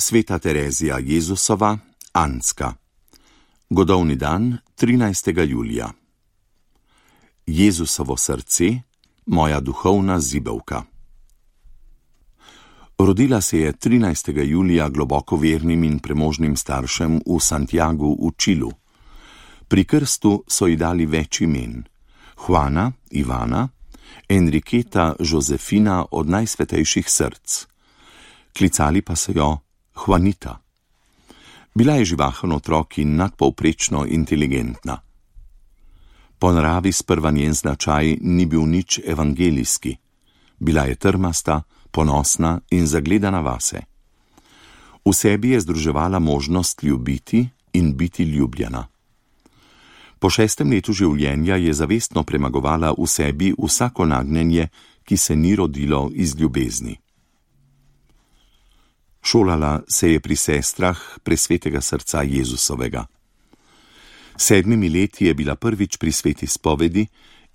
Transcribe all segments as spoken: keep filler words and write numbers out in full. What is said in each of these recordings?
Sveta Terezija Jezusova, Anska. Godovni dan, trinajstega julija. Jezusovo srce, moja duhovna zibelka. Rodila se je trinajstega julija globoko vernim in premožnim staršem v Santiagu v Čilu. Pri krstu so ji dali več imen: Juana, Ivana, Enriqueta, Josefina od najsvetejših src. Klicali pa so jo Juanita. Bila je živahen otrok in nadpovprečno inteligentna. Po naravi sprva njen značaj ni bil nič evangelijski. Bila je trmasta, ponosna in zagledana vase. V sebi je združevala možnost ljubiti in biti ljubljena. Po šestem letu življenja je zavestno premagovala v sebi vsako nagnjenje, ki se ni rodilo iz ljubezni. Šolala se je pri sestrah presvetega srca Jezusovega. Sedmimi leti je bila prvič pri sveti spovedi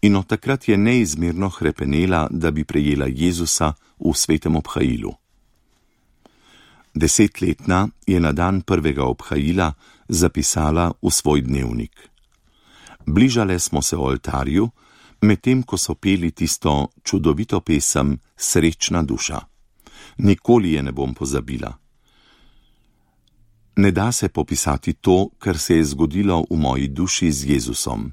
in od takrat je neizmerno hrepenela, da bi prejela Jezusa v svetem obhajilu. Desetletna je na dan prvega obhajila zapisala v svoj dnevnik: Bližale smo se oltarju, medtem ko so peli tisto čudovito pesem Srečna duša. Nikoli je ne bom pozabila. Ne da se popisati to, kar se je zgodilo v moji duši z Jezusom.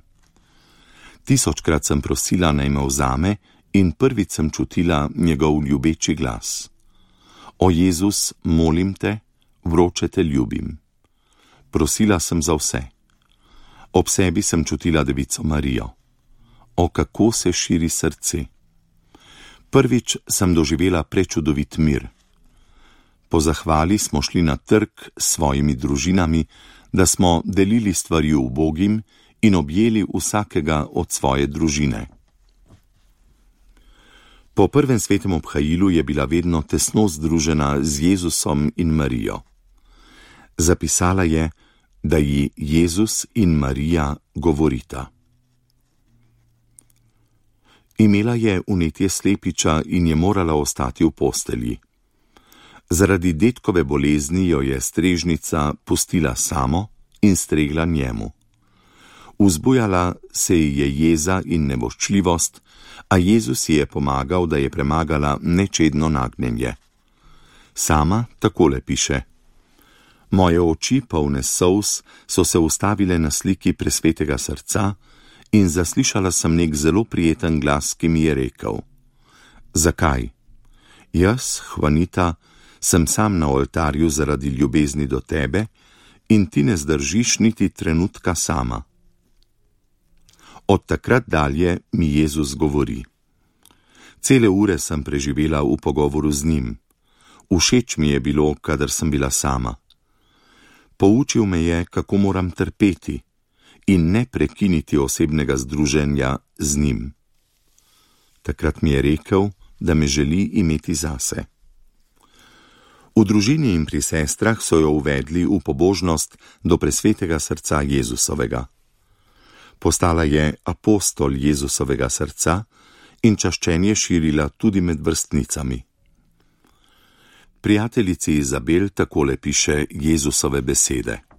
Tisočkrat sem prosila, naj me vzame, in prvič sem čutila njegov ljubeči glas. O Jezus, molim te, vroče te ljubim. Prosila sem za vse. Ob sebi sem čutila Devico Marijo. O, kako se širi srce. Prvič sem doživela prečudovit mir. Po zahvali smo šli na trg s svojimi družinami, da smo delili stvari ubogim in objeli vsakega od svoje družine. Po prvem svetem obhajilu je bila vedno tesno združena z Jezusom in Marijo. Zapisala je, da ji Jezus in Marija govorita. Imela je vnetje slepiča in je morala ostati v postelji. Zaradi dedkove bolezni jo je strežnica pustila samo in stregla njemu. Vzbujala se ji je jeza in nevoščljivost, a Jezus ji je pomagal, da je premagala nečedno nagnjenje. Sama takole piše: Moje oči, polne solz, so se ustavile na sliki presvetega srca in zaslišala sem nek zelo prijeten glas, ki mi je rekel: Zakaj? Jaz, Juanita, sem sam na oltarju zaradi ljubezni do tebe in ti ne zdržiš niti trenutka sama. Od takrat dalje mi Jezus govori. Cele ure sem preživela v pogovoru z njim. Všeč mi je bilo, kadar sem bila sama. Poučil me je, kako moram trpeti in ne prekiniti osebnega združenja z njim. Takrat mi je rekel, da me želi imeti zase. V družini in pri sestrah so jo uvedli v pobožnost do presvetega srca Jezusovega. Postala je apostol Jezusovega srca in čaščenje širila tudi med vrstnicami. Prijateljici Izabel takole piše Jezusove besede: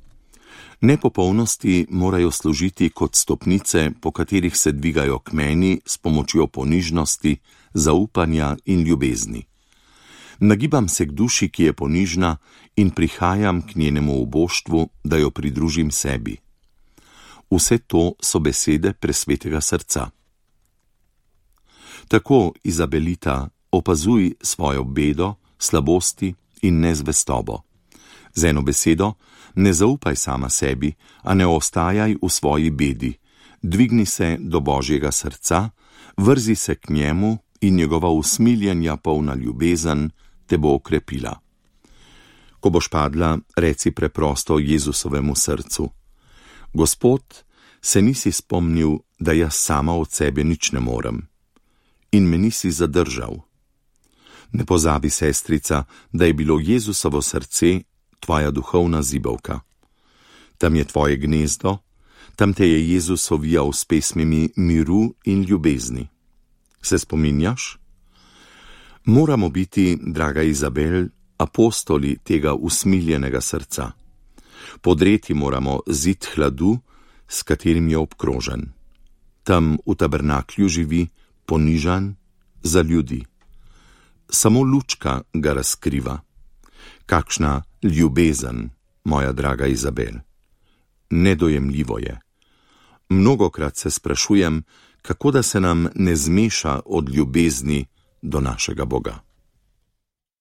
Nepopolnosti morajo služiti kot stopnice, po katerih se dvigajo k meni s pomočjo ponižnosti, zaupanja in ljubezni. Nagibam se k duši, ki je ponižna, in prihajam k njenemu uboštvu, da jo pridružim sebi. Vse to so besede presvetega srca. Tako, Izabelita, opazuj svojo bedo, slabosti in nezvestobo. Z eno besedo, ne zaupaj sama sebi, a ne ostajaj v svoji bedi. Dvigni se do Božjega srca, vrzi se k njemu in njegova usmiljenja polna ljubezen te bo okrepila. Ko boš padla, reci preprosto Jezusovemu srcu: Gospod, se nisi spomnil, da jaz sama od sebe nič ne morem. In me nisi zadržal. Ne pozabi, sestrica, da je bilo Jezusovo srce tvoja duhovna zibelka. Tam je tvoje gnezdo, tam te je Jezus ovijal s pesmimi miru in ljubezni. Se spominjaš? Moramo biti, draga Izabel, apostoli tega usmiljenega srca. Podreti moramo zid hladu, s katerim je obkrožen. Tam v tabernaklju živi, ponižan, za ljudi. Samo lučka ga razkriva. Kakšna ljubezen, moja draga Izabel. Nedojemljivo je. Mnogokrat se sprašujem, kako da se nam ne zmeša od ljubezni do našega Boga.